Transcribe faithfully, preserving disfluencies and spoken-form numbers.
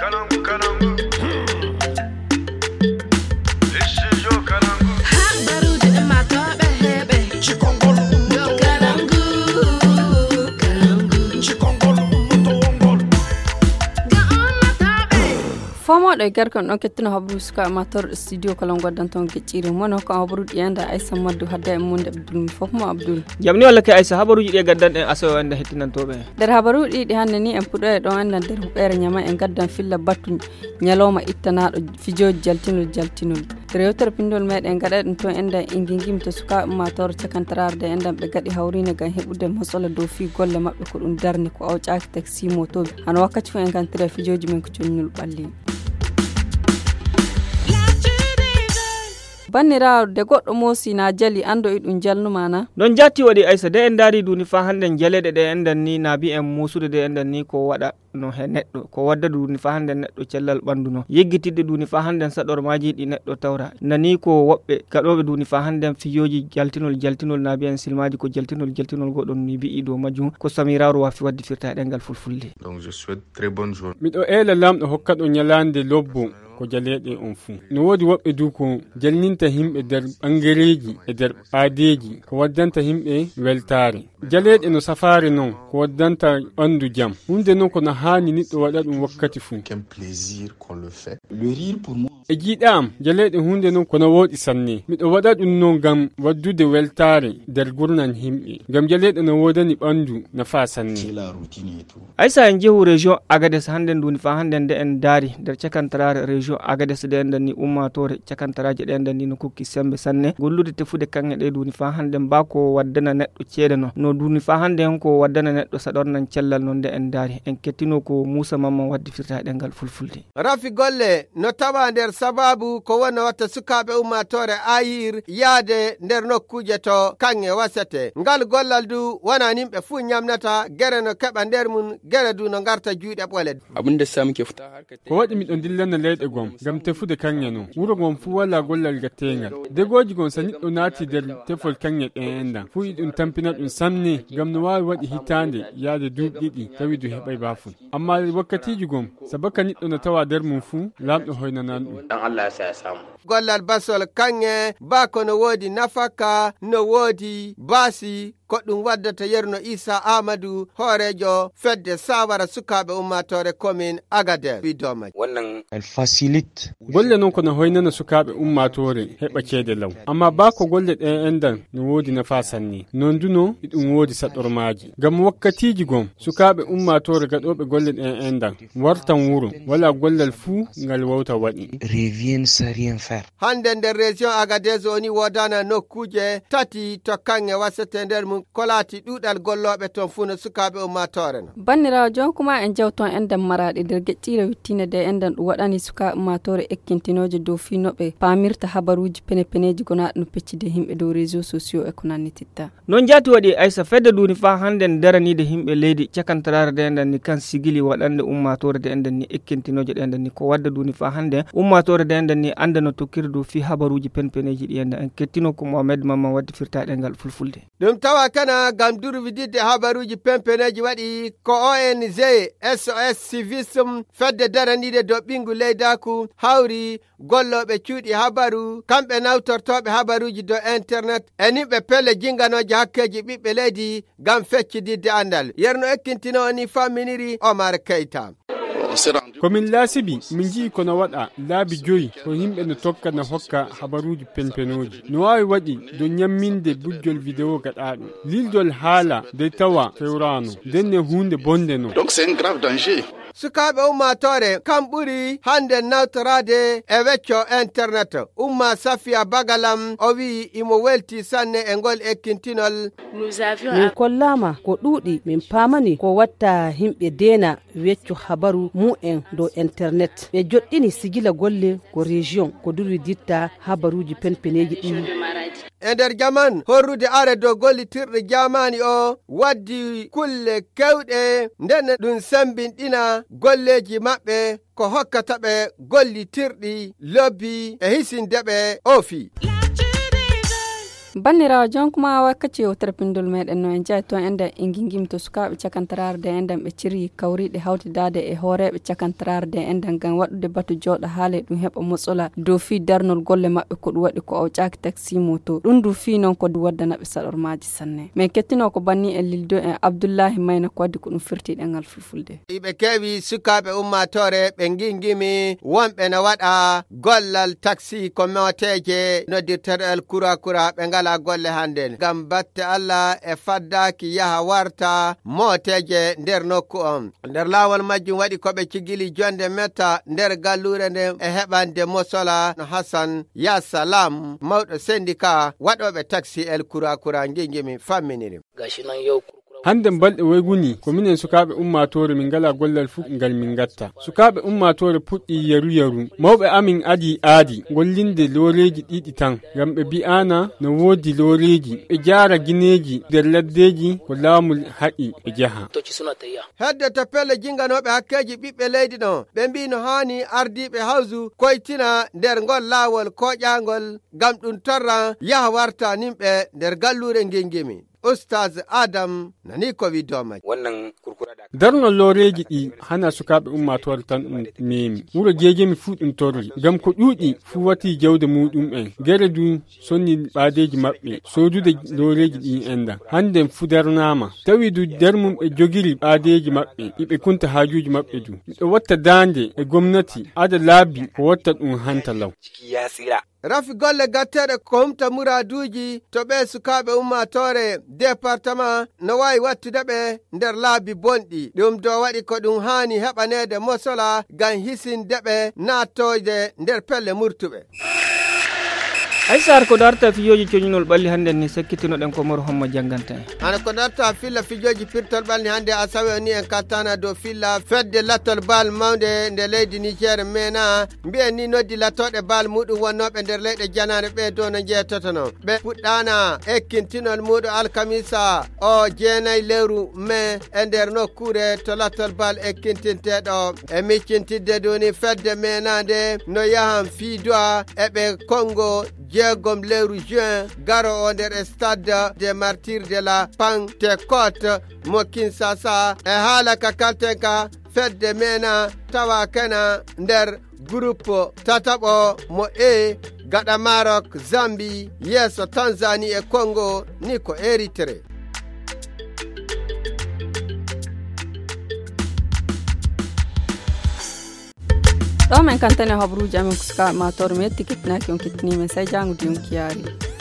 Habaruuji ummaatooɓe heɓe. Cikongol ummaatooɓe. Cikongol ummaatooɓe. Fomooɗo e garkon ɗon kettuno habru suka mator studio kala ngoddan ton gecciri mono ko habru ɗi enda aysa maddu hadda e munde abdul mi fof mo abdul. Jamni walla ke aysa habaruuji ɗi e gaddan en aso enda hettinantooɓe. Nder habaruuji ɗi hannde ni en puɗo e ɗon endan nder huɓeere ñama en gaddan filla battu ñalawma ittanaaɗo fijooji jaltinol jaltinol. Rewtere pinndol meɗen gaɗa ɗum toon endan ingingimi to sukaaɓe ummaatoore cakantararde endan ɓe gaɗi hawriinde ngam heɓude mosola dow fii golle maɓɓe ko ɗum darni ko awƴaaki taksi motooɓe hano wakkati fof en kantira fijooji men ko connol ɓalli. Banniraawo de goɗɗo moosi na jali anndo e ɗum jalnuma na. Noon jaatti waɗi aysa de en ndaari duuni faa hannden jaleeɗe ɗe endan ni na mbiyen muusude de endan ni ko waɗa no he neɗɗo ko wadda duuni faa hannden neɗɗo cellal ɓanndu no yeggitidde duuni faa hannden saɗormaaji ɗi neɗɗo tawra nani ko woɓɓe gaɗooɓe duuni faa hannden fijooji jaltinol jaltinol na mbiyen silmaaji ko jaltinol jaltinol goɗon ni mbi'i dow majjum ko samiraaru waafi waɗde firta e ɗemngal fulfulde. Donc je souhaite très bonne journée. Miɗo eela laamɗo hokkaɗo ñalaande lobbo ko jaleeɗe on fuu. No woodi woɓɓe du ko jalninta himɓe nder ɓangereeji e nder ɓaadeeji ko waddanta himɓe weltaare. Jaleeɗe no safaare non ko waddanta ɓanndu jam. Huunde non ko no haani niɗɗo waɗa ɗum wakkati fuu. Quel plaisir qu'on le fait. Le rire pour moi. E jiiɗa am, jaleeɗe huunde non ko no wooɗi sanne. Miɗo waɗa ɗum non ngam waddude weltaare nder gurnan himɓe. Ngam jaleeɗe no woodani ɓanndu nafa sanne. C'est la routine et tout. Aysa en jehu région Agadez hannden duuni faa hannden nde en daari nder cakantaraare région Agadez nde enɗen ni ummaatoore cakantaraaji ɗe enɗen ni no kokki semmbe sanne gollude tefude kaŋŋe ɗe duuni faa hannden baa ko waddana neɗɗo ceede no no duuni faa hannden ko waddana neɗɗo saɗornan cellal no nde en daari en kettino ko Muusa Mamman waddi firta e ɗemngal fulfulde. Rafi golle no tawa nder sababu ko wonno watta sukaaɓe ummaatoore Ayir yaade nder nokkuuje to kaŋŋe wasete. Ngal gollal du wonaa nimɓe fuu ñamnata, gere no keɓa nder mum, gere du no ngarta juuɗe ɓole. Abin da sa muke fita harkar ko waɗi miɗo dillana leyɗe gom ngam tefude kaŋŋe non. Wuro ngon fuu walaa gollal gatteengal. Degooji gon so niɗɗo naati nder tefol kaŋŋe ɗen enɗan fuu iɗum tampina ɗum sanne ngam no waawi waɗi hitaande yaade duuɓi ɗiɗi tawi du heɓay baafun. Amma wakkatiiji gom sabaka niɗɗo no tawa nder mum fuu laamɗo hoynanan ɗum. Dan Allah ya sa ya samu. Gollal basol kaŋŋe baa ko no woodi nafaka no woodi baasi ko ɗum waddata yerno Isa Ahmadu hooreejo fedde saawara sukaaɓe ummaatoore komin Agadeer wi domaji. Wannan. Golle non ko no hoynana sukaaɓe ummaatoore heɓa ceede law. Amma baa ko golle ɗen enɗan no woodi nafa sanne non du no iɗum woodi saɗormaaji ngam wakkatiiji gom sukaaɓe ummaatoore gaɗooɓe golle ɗen enɗan wartan wuro walaa gollal fuu ngal wawta waɗi. Revient sans rien faire. Hannde nder région Agadez woni woodana nokkuuje tati to kaŋŋe wasete nder mum ko laati ɗuuɗal gollooɓe toon fuu no sukaaɓe ummaatoore no. Banniraawo jonkuma en jawton enɗan maraaɗi nder geƴƴiire wittiinde de enɗan ɗum waɗani sukaaɓe ummaatoore ekkintinooje dow fii no ɓe paamirta habaruuji penepeneeji gonaaɗi no peccide himɓe dow réseau sociaux e ko nannititta. Noon jaati waɗi aysa fedde duuni faa hannden daraniide himɓe leydi cakantaraare de enɗan ni kan sigili waɗande ummaatoore de enɗan ni ekkintinooje ɗe enɗan ni ko wadda duuni faa hannden ummaatoore de enɗan ni annda no tokkiri dow fii habaruuji penpeneeji ɗi enɗan en kettino ko Mohamed Mamman waddi firta ɗemngal fulfulde. Ɗum tawa kana ngam durwididde habaruuji penpeneeji waɗi ko O N G S O S Civisme fedde daraniide dow ɓinngu leydaaku hawri gollooɓe cuuɗi habaru kamɓe nawtortooɓe habaruuji dow internet e nimɓe pelle jinnganooje hakkeeji ɓiɓɓe leydi ngam feccididde anndal yerno ekkintinoo ni famminiri Omar Keyta. Ko min laasibi min nji'i ko no waɗa laabi joyi ko yimɓe no tokka no hokka habaruuji penpenooji no waawi waɗi dow ñamminde bujjol video gaɗaaɗo lildol haala dey tawa fewraano ndenne huunde bonde no. Donc c'est un grave danger. Sukaaɓe ummaatoore kam ɓuri hannde nawtoraade e wecco internet. Umma Safiya Bagalam o wi'i imo welti sanne e ngol ekkintinol. Min kollaama ko ɗuuɗi min paamani ko watta yimɓe deena wecco habaru mumen dow internet ɓe joɗɗini sigila golle ko région ko durwiditta habaruuji penpeneeji ɗi. E nder jaman horrude are dow gollitirɗe jaamaani o waddi kulle kewɗe nden ɗum sembinɗina golleeji maɓɓe ko hokkata ɓe gollitirɗi lobbi e hisinde ɓe o fii. Banndiraawo, jonkuma wakkaci yewtere pinndol meɗen no en jeyi to enɗen e ngingimi to sukaaɓe cakantaraare de enɗen ɓe ciri kawriiɗe hawtidaade e hooreeɓe cakantaraare de enɗen ngam waɗude batu jooɗo haale ɗum heɓa motsola dow fii darnol golle maɓɓe ko ɗum waɗi ko awƴaaki taxi moto. Ɗum du fii noon ko ɗum waddana ɓe saɗormaaji sanne. Min kettino ko banni en Lildo en Abdullahi Mayna ko waddi ko ɗum firti ɗengal fulfulde. Iɓe keewi sukaaɓe ummaatoore ɓe ngingimi wonɓe no waɗa gollal taxi ko mooteeje noddirteeɗo el kura kura ɓe ngalaa golle hannde ngam batte Allah e faddaaki yaha warta mooteeje nder nokku on. Nder laawol majjum waɗi ko ɓe cigili jonde metta nder galluure nden e heɓande mosola no Hassan Ya Salam, mawɗo sendika waɗooɓe taxi el kura kura ngingimi famminiri. Hannde balɗe woyguni ko minen sukaaɓe ummaatoore min ngalaa gollal fuu ngal min ngatta. Sukaaɓe ummaatoore puɗɗi yaru yaru. Mawɓe amin adii aadi gollinde looreeji ɗiɗi tan ngam ɓe bi'aana no woodi looreeji ɓe jaara gineeji nder laddeeji ko laamu haɗi ɓe jaha. Hedde to pelle jinganooɓe hakkeeji ɓiɓɓe leydi ɗon ɓe mbii no haani ardiiɓe hawsu koytina nder ngol laawol kooƴaangol ngam ɗum torra yaha warta nimɓe nder galluure ngingimi. Ustaz Adam nani ko wi domaji. Darnol looreeji ɗi hana sukaaɓe ummaatoore tan ɗum meemi wuro jeejemi fuu ɗum torri ngam ko ɗuuɗi fuu wati jawde muɗum en gere du sonni ɓaadeeji maɓɓe soodude looreeji ɗi enɗan hannden fuu darnaama tawi du nder mum ɓe jogiri ɓaadeeji maɓɓe iɓe kunta haajuuji maɓɓe du miɗo watta daande e gomnati ada laabi ko watta ɗum hanta law. Rafi golle gatteeɗe ko humta muraaduuji to ɓee sukaaɓe ummaatoore departama no waawi wattude ɓe nder laabi bonɗi ɗum do waɗi ko ɗum haani heɓaneede mosola ngam hisinde ɓe naattoyde nder pelle murtuɓe. Aysar ko darta fijooji coñinol ɓalli hannde ni sakkitinoɗen ko moro hommo jannganta en. Hana ko darta filla fijooji pirtol ɓalli hannde asawe o ni en kattana dow filla fedde lattol bal mawnde nde leydi Niger mena mbiyen ni noddi lattoɗe bal muɗum wonnooɓe nder leyɗe janaare ɓe dow no njeetotono ɓe puɗɗaana ekkintinol muɗum alkamisa o jeenay lewru mai e nder nokkuure to lattol bal ekkintinteeɗo e miccintidde duni fedde menande no yahan fii du'a e ɓe kongo jeegom lewru juin garo o nder stade de martyr de la Pentecôte mo Kinshasa e haala ka kalten ka fedde mena tawa kena nder groupe tataɓo mo e gaɗa Maroc, Zambie, yeeso Tanzanie e Congo ni ko Eritrée. Ɗo men kantane habruuji amen ko sukaaɓe ma toro mi yetti kettinaaki on kettiniimen sai jaangude on kiyaari.